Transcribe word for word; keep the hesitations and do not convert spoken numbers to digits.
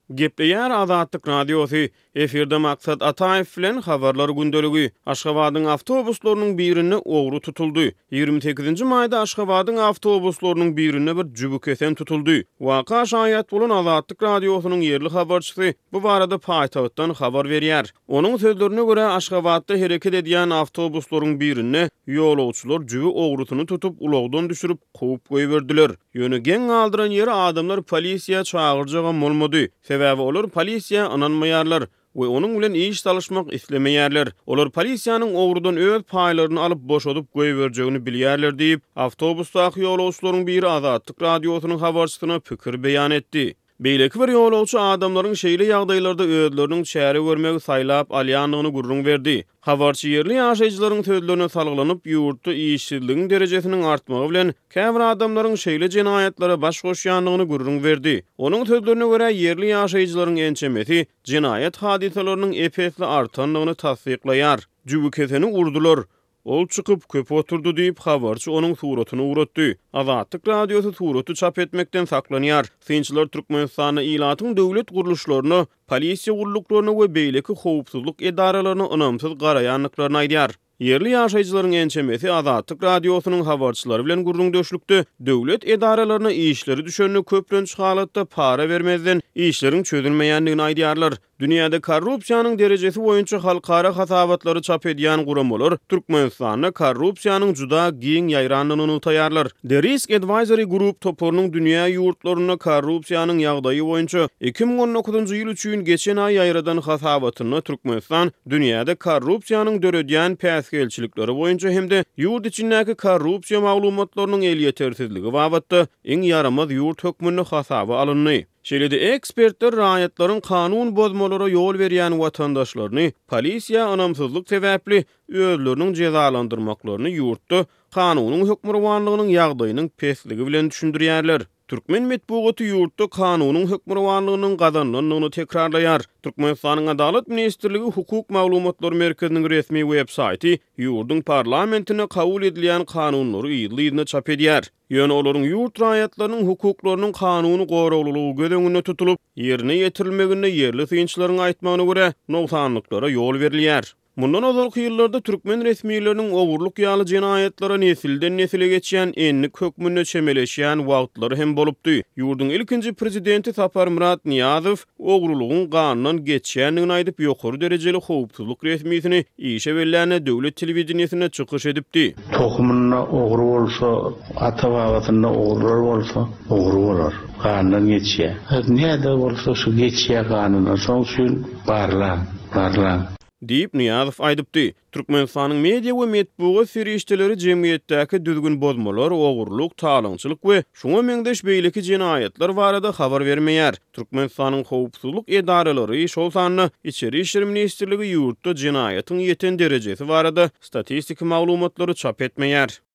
Gepleýär Azatlyk Radiosy, Efirde Maksat Ataýew bilen Habarlar gündeligi. Aşgabadyň awtobuslarynyň birinde ogry tutuldy. Ýigrimi sekizinji maýda Aşgabadyň awtobuslarynyň birinde bir jübükesen tutuldy. Waka şaýat bolan Azatlyk Radiosynyň ýerli habarçysy bu barada paýtagtdan habar berýär. Onuň sözlerine görä, Aşgabatda hereket edýän awtobuslaryň birinde ýolagçylar jübi ogrusyny tutup, ulagdan düşürip, kowup goýberdiler. Ýöne geň galdyran ýeri adamlar polisiýa çagyrjagam bolmady. Sebäbi olar polisiýa ynanmaýarlar we onuň bilen iş salyşmak islemeýärler. Olar polisiýanyň ogrudan öz paýlaryny alyp boşadyp goýberjegini bilýärler diýip, awtobusdaky ýolagçylaryň biri Azatlyk Radiosynyň habarçysyna pikir beýan etdi. Beýleki bir ýolagçy adamlaryň şeýle ýagdaýlarda özleriniň çäre görmegi saýlap alýandygyny gürrüň berdi. Habarçy ýerli ýaşaýjylaryň sözlerine salgylanyp, ýurtda işsizligiň derejesiniň artmagy bilen käbir adamlaryň şeýle jenaýatlara baş goşýandygyny gürrüň berdi. Onuň sözlerine görä, ýerli ýaşaýjylaryň ençemesi jenaýat hadysalarynyň ep-esli artandygyny tassyklaýar. Jübükeseni urdular. Ol çykyp, köp oturdy diýip, habarçy onuň suratyny ugratdy. Azatlyk Radiosy suraty çap etmekden saklanýar. Synçylar Türkmenistanda ilatyň döwlet gurluşlaryna, polisiýa gulluklaryna we beýleki howpsuzlyk edaralaryna ynamsyz garaýandyklaryny aýdýar. Ýerli ýaşaýjylaryň ençemesi Azatlyk Radiosynyň habarçylary bilen gürrüňdeşlikde döwlet edaralaryna işleri düşende köplenç halatda para bermezden işleriň çözülmeýändigini aýdýarlar. Dünýäde korrupsiýanyň derejesi boýunça halkara hasabatlary çap edýän guramalar Türkmenistanda korrupsiýanyň juda giň ýaýrandygyny nygtaýarlar. The Risk Advisory Group toparynyň dünýä ýurtlarynda korrupsiýanyň ýagdaýy boýunça iki müň on dokuzynjy ýyl üçin geçen aý ýaýradan hasabatynda Türkmenistan dünýäde korrupsiýanyň döredýän päsgelçilikleri boýunça hem-de ýurt içindäki korrupsiýa maglumatlarynyň elýetersizligi babatda iň ýaramaz ýurt hökmünde hasaba alyndy. Şeýle-de ekspertler raýatlaryň kanun bozmalara ýol berýän watandaşlaryny polisiýa ynamsyzlyk sebäpli özleriniň jezalandyrmaklaryny ýurtda kanunyň hökmürowanlygynyň ýagdaýynyň pesligi bilen düşündirýärler. Türkmen metbugaty ýurtda kanunyň hökmürowanlygynyň gazanylandygyny tekrarlaýar. Türkmenistanyň Adalat ministrligi Hukuk maglumatlar merkeziniň resmi web-saýty ýurduň parlamentinde kabul edilýän kanunlary yzly-yzyna çap edýär. Ýöne olaryň ýurt raýatlarynyň hukuklarynyň kanuny goraglylygy göz öňünde tutulyp, ýerine ýetirilmeginde ýerli synçylaryň aýtmagyna görä, nogsanlyklara ýol berilýär. Mundan ozalky ýyllarda türkmen resmileriniň ogurlyk ýaly jenaýatlara nesilden-nesile geçýän endik hökmünde çemeleşýän wagtlary hem bolupdy. Ýurduň ilkinji prezidenti Saparmyrat Nyýazow ogrulygyň gandan geçýändigini aýdyp, ýokary derejeli howpsuzlyk resmisini işe bellände döwlet telewideniýesinde çykyş edipdi. Tohumynda ogry bolsa, ata-babasynda ogrular bolsa, ogry bolar. Gandan geçýär. Näde bolsa şu geçýär ganyndan. Şonuň üçin barlaň, barlaň. Diýip, Nyýazow aýdypdy. Türkmenistanyň media we metbugat serişdeleri jemgyýetdäki düzgün bozmalar, ogurlyk, talaňçylyk we şuňa meňzeş beýleki jenaýatlar barada habar bermeýär. Türkmenistanyň howpsuzlyk edaralary, şol sanda Içeri işler ministrligi ýurtda jenaýatyň ýeten derejesi barada statistiki maglumatlary çap etmeýär.